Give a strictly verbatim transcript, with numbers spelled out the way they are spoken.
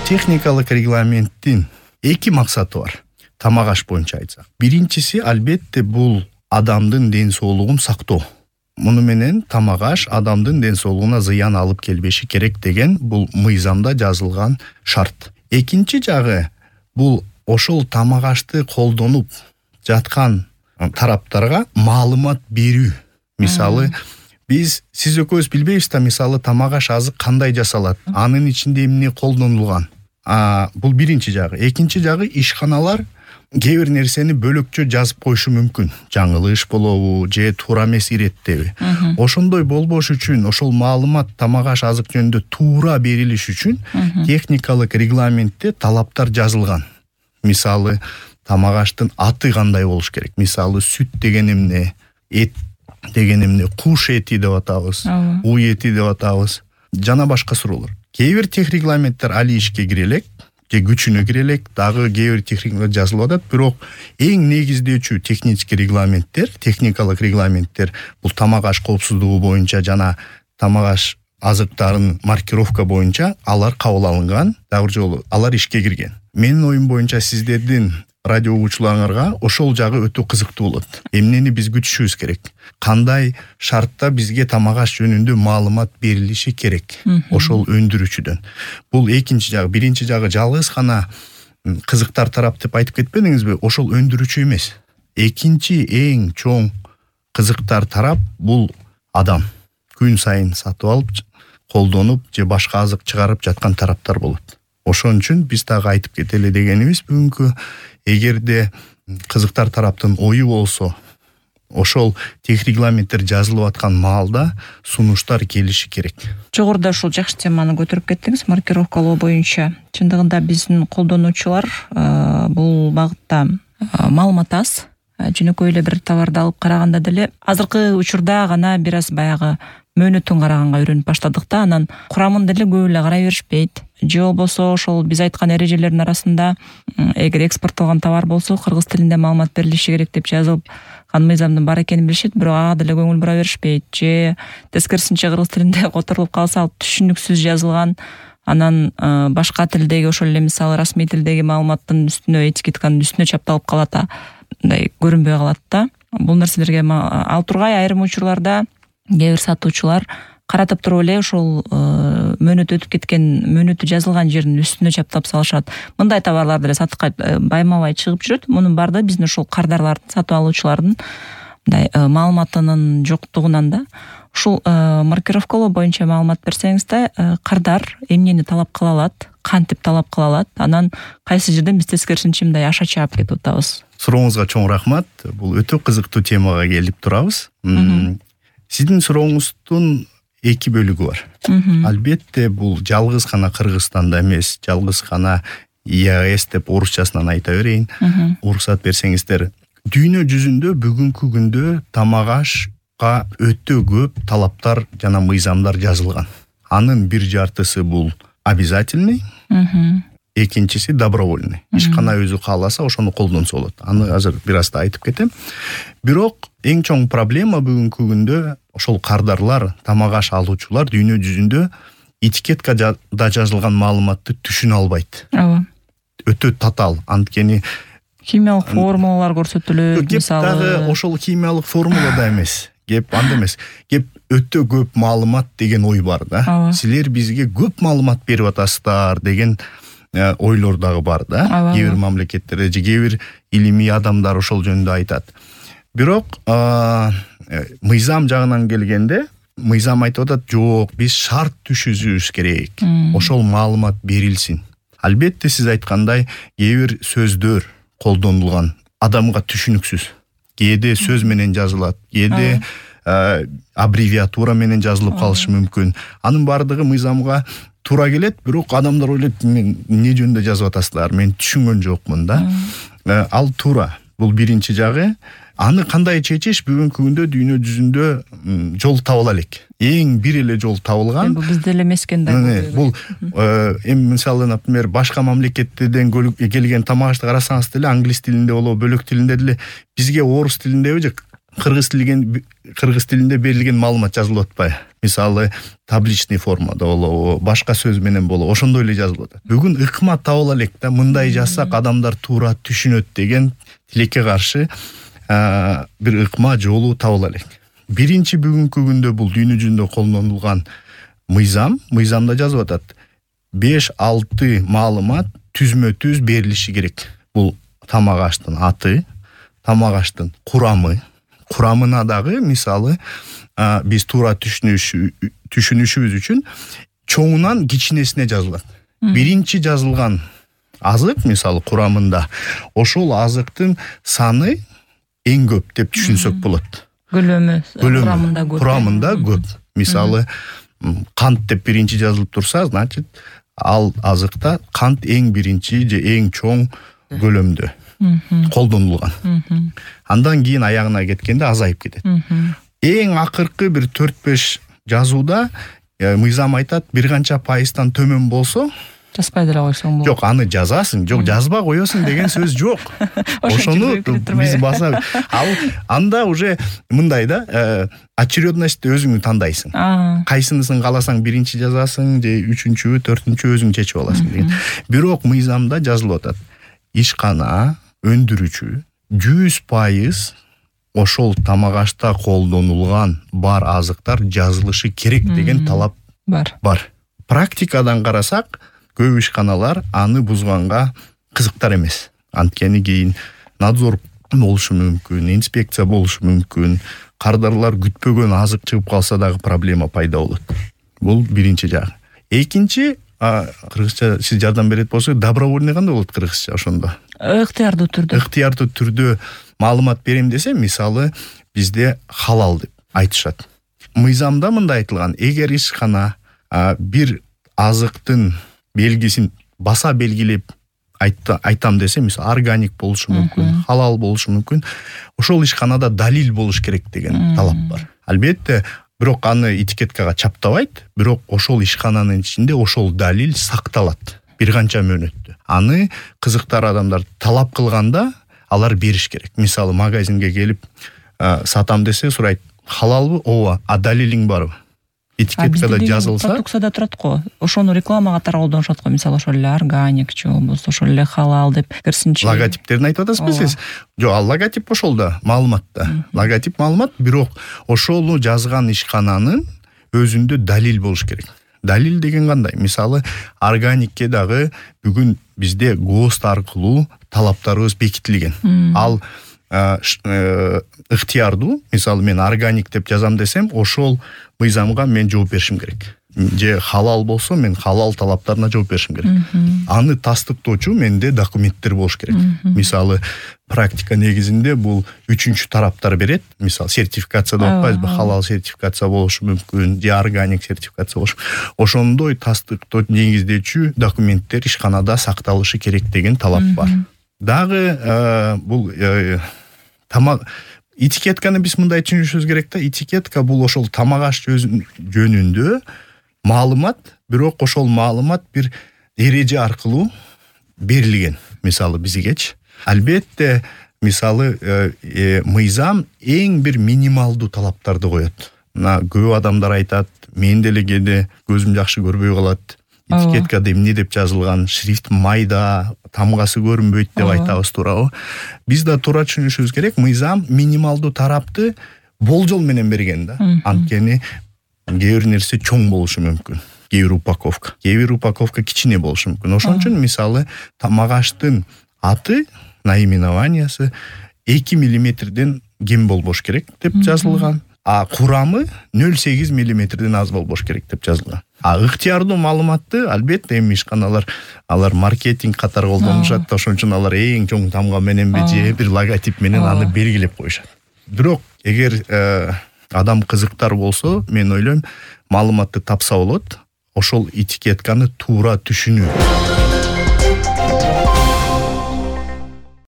техникалык регламенттин эки максаты бар. Тамак аш боюнча айтсак. Биринчиси албетте бул адамдын ден соолугун сактоо. Муну менен тамак аш адамдын ден соолугуна зыян алып келбеши керек деген бул мыйзамда жазылган шарт. Экинчи жагы бул ошол тамак ашты колдонуп жаткан тараптарга маалымат берүү. Мисалы, биз сиз экөөбүз билбейбиз да, мисалы тамак аш азык кандай жасалат, анын ичинде эмне колдонулган. А бул биринчи жагы. Экинчи жагы ишканалар кээ бир нерсени бөлөкчө жазып коюшу мүмкүн. Жаңылыш болобу, же туура эмес иреттеби. Ошондой болбош үчүн, ошол маалымат тамак аш азык жөнүндө туура берилиш үчүн техникалык регламентте талаптар жазылган. Мисалы, тамак аштын аты кандай болуш керек. Мисалы, сүт деген эмне, эт деген эмне, куш эти деп атабыз, уй эти деп атабыз, жана башка суроолор. Кээ бир тех регламенттер али ишке кире элек, же күчүнө кире элек, дагы кээ бир техникалар жазылып атат, бирок эң негиздөөчү технический регламенттер, техникалык регламенттер бул тамак аш коопсуздугу боюнча жана тамак аш азыктарын маркировка боюнча алар кабыл алынган, дагы бир жолу алар ишке кирген. Менин оюм боюнча сиздердин радио угуучуларыңарга ошол жагы өтө кызыктуу болот. Эмнени биз күтүшүбүз керек? Кандай шартта бизге тамак аш жөнүндө маалымат берилиши керек? Ошол өндүрүүчүдөн. Бул экинчи жагы. Биринчи жагы жалгыз гана кызыктар тарап деп айтып кетпедиңизби? Ошол өндүрүүчү эмес. Экинчи эң чоң кызыктар тарап бул адам. Күн сайын сатып алып, колдонуп же башка азык чыгарып жаткан тараптар болот. Ошон үчүн биз дагы айтып кетели дегенибиз бүгүнкү, эгерде кызыктар тараптын ою болсо, ошол тех регламенттер жазылып аткан маалда сунуштар келиши керек. Жогоруда ушул жакшы теманы көтөрүп кеттиңиз, маркировкалоо боюнча. Чындыгында биздин колдонуучулар бул багытта маалымат аз. Жөнөкөй эле бир товарды алып караганда деле азыркы учурда гана бир аз баягы мөөнөтүн караганга үйрөнүп баштадык да, анан курамын деле көп эле карай беришпейт. Же болбосо ошол биз айткан эрежелердин арасында эгер экспорттолгон товар болсо кыргыз тилинде маалымат берилиши керек деп жазылып кан мыйзамдын бар экенин билишет, бирок ага деле көңүл бура беришпейт. Же тескерисинче кыргыз тилинде которулуп калса, ал түшүнүксүз жазылган, анан башка тилдеги ошол эле мисалы расмий тилдеги маалыматтын үстүнө, этикетканын үстүнө чапталып калат, мындай көрүнбөй калат да. Бул нерселерге ал тургай айрым учурларда кээ бир сатуучулар каратып туруп эле ошол мөөнөтү өтүп кеткен, мөөнөтү жазылган жердин үстүнө чаптап салышат. Мындай товарлар деле сатыкка байма-бай чыгып жүрөт. Мунун баардыгы биздин ошол кардарлардын, сатып алуучулардын мындай маалыматынын жоктугунан да. Ушул маркировкалоо боюнча маалымат берсеңиз да, кардар эмнени талап кыла алат, кантип талап кыла алат, анан кайсы жерден биз тескерисинче мындай аша чаап кетип атабыз. Сурооңузга чоң рахмат. Бул өтө кызыктуу темага келип турабыз. Сиздин сурооңуздун эки бөлүгү бар. Албетте бул жалгыз гана Кыргызстанда эмес, жалгыз гана ИАЭС деп орусчасынан айта берейин. Уруксат берсеңиздер, дүйнө жүзүндө бүгүнкү күндө тамак ашка өтө көп талаптар жана мыйзамдар жазылган. Анын бир жартысы бул обязательный, экинчиси добровольный. Ишкана өзү кааласа ошону колдонсо болот. Аны азыр бир аз да айтып кетем. Бирок эң чоң проблема бүгүнкү күндө ошол кардарлар, тамак аш алуучулар дүйнө жүзүндө этикетка да жазылган маалыматты түшүнө албайт. Ооба. Өтө татаал, анткени химиялык формулалар көрсөтүлөт, мисалы. Дагы ошол химиялык формула да эмес. Кеп анда эмес. Кеп өтө көп маалымат деген ой бар да. Силер бизге көп маалымат берип атасыздар деген ойлор дагы бар да. Кээ бир мамлекеттерде же кээ бир илимий адамдар ошол жөнүндө айтат. Бирок мыйзам жагынан келгенде, мыйзам айтып атат, жок, биз шарт түшүзүбүз керек. Ошол маалымат берилсин. Албетте сиз айткандай, кээ бир сөздөр колдонулган, адамга түшүнүксүз. Кээде сөз менен жазылат, кээде аббревиатура менен жазылып калышы мүмкүн. Анын баардыгы мыйзамга туура келет, бирок адамдар ойлойт, эмне жөнүндө жазып атасыздар, мен түшүнгөн жокмун да. Ал туура. Бул биринчи жагы. Аны кандай чечиш бүгүнкү күндө дүйнө жүзүндө жол табыла элек. Эң бир эле жол табылган. Бул бизде эле эмес экен да. Бул эми мисалы, например, башка мамлекеттерден келген тамак ашты карасаңыз деле англис тилинде болобу, бөлөк тилинде деле, бизге орус тилиндеби же кыргыз тилинен кыргыз тилинде берилген маалымат жазылып атпайбы? Мисалы табличный формада болобу, башка сөз менен болобу, ошондой эле жазылып атат. Бүгүн ыкма таба элек да, мындай жазсак адамдар туура түшүнөт деген тилекке каршы бир ыкма жолу таба элек. Биринчи бүгүнкү күндө бул дүйнө жүзүндө колдонулган мыйзам, мыйзамда жазып атат. беш алты маалымат түзмө түз берилиши керек. Бул тамак аштын аты, тамак аштын курамы, курамына дагы мисалы биз туура түшүнүшүбүз үчүн чоңунан кичинесине жазылат. Биринчи жазылган азык мисалы курамында ошол азыктын саны эң көп деп түшүнсөк болот. Көлөмү курамында көп. Курамында көп. Мисалы кант деп биринчи жазылып турса, значит ал азыкта кант эң биринчи же эң чоң көлөмдө колдонулган. Андан кийин аягына кеткенде азайып кетет. Эң акыркы бир төрт беш жазууда мыйзам айтат, бир канча пайыздан төмөн болсо жазбай деле койсоң болот. Жок, аны жазасың, жок, жазба коесуң деген сөз жок. Ошону биз баса ал анда уже мындай да, очередность өзүң тандайсың. Кайсынысын кааласаң биринчи жазасың же үчүнчү, төртүнчү өзүң чечип аласың деген. Бирок мыйзамда жазылып атат. Ишкана өндүрүүчү жүз пайыз ошол тамак ашта колдонулган бар азыктар жазылышы керек деген талап бар. Бар. Практикадан карасак, көп ишканалар аны бузганга кызыктар эмес. Анткени кийин надзор болушу мүмкүн, инспекция болушу мүмкүн, кардарлар күтпөгөн азык чыгып калса дагы проблема пайда болот. Бул биринчи жагы. Экинчи, кыргызча сиз жардам берет болсо, добровольный кандай болот кыргызча ошондо? Ыктыярдуу түрдө. Ыктыярдуу түрдө маалымат берем десе, мисалы бизде халал деп айтышат. Мыйзамда мындай айтылган: эгер ишкана бир азыктын белгисин баса белгилеп айтам десе, мисалы органик болушу мүмкүн, халал болушу мүмкүн, ошол ишканада далил болуш керек деген талап бар. Албетте, бирок аны этикеткага чаптабайт, бирок ошол ишкананын ичинде ошол далил сакталат бир канча мөөнөттө. Аны кызыктар адамдар талап кылганда алар бериш керек. Мисалы магазинге келип сатам десе, сурайт: халалбы? Ооба, а далилиң барбы? Этикеткада жазылса, продукцияда турат го. Ошону реклама катары колдонушат го. Мисалы ошол эле органик же болбосо ошол эле халал деп кирсинчи. Логотиптерин айтып атасызбы сиз? Жок, ал логотип ошолда, маалыматта. Логотип маалымат, бирок ошону жазган ишкананын өзүндө далил болуш керек. Далил деген кандай? Мисалы органикке дагы бүгүн бизде ГОСТ аркылуу талаптарыбыз бекитилген. Ал ыктыярдуу, мисалы мен органик деп жазам десем, ошол мыйзамга мен жооп беришим керек. Же халал болсо, мен халал талаптарына жооп беришим керек. Аны тастыктоочу менде документтер болуш керек. Мисалы практика негизинде бул үчүнчү тараптар берет. Мисалы сертификация деп атпайбызбы? Халал сертификация болушу мүмкүн, же органик сертификация болушу. Ошондой тастыктоо негиздечү документтер ишканада сакталышы керек деген талап бар. Дагы бул тамак этикетканы биз мындай түшүнүшүбүз керек да. Этикетка бул ошол тамак аш жөнүндө маалымат, бирок ошол маалымат бир эреже аркылуу берилген. Мисалы бизгечи. Албетте, мисалы мыйзам эң бир минималдуу талаптарды коет. Мына көп адамдар айтат: мен деле кээде көзүм жакшы көрбөй калат. Этикеткада эмне деп жазылган, шрифт майда, тамгасы көрүнбөйт деп айтабыз, туурабы? Биз да туура түшүнүшүбүз керек. Мыйзам минималдуу тарапты болжол менен берген да. Анткени кээ бир нерсе чоң болушу мүмкүн. Кээ бир упаковка, кээ бир упаковка кичине болушу мүмкүн. Ошон үчүн мисалы тамак аштын аты, наименованиясы эки миллиметрден кем болбош керек деп жазылган. А курамы нөл сегиз миллиметрден аз болбош керек деп жазылган. А ыктыярдуу маалыматты албетте эми ишканалар алар маркетинг катары колдонушат, ошон үчүн алар эң чоң тамга мененби же бир логотип менен аны белгилеп коюшат. Бирок эгер адам кызыктар болсо, мен ойлойм, маалыматты тапса болот, ошол этикетканы туура түшүнүү.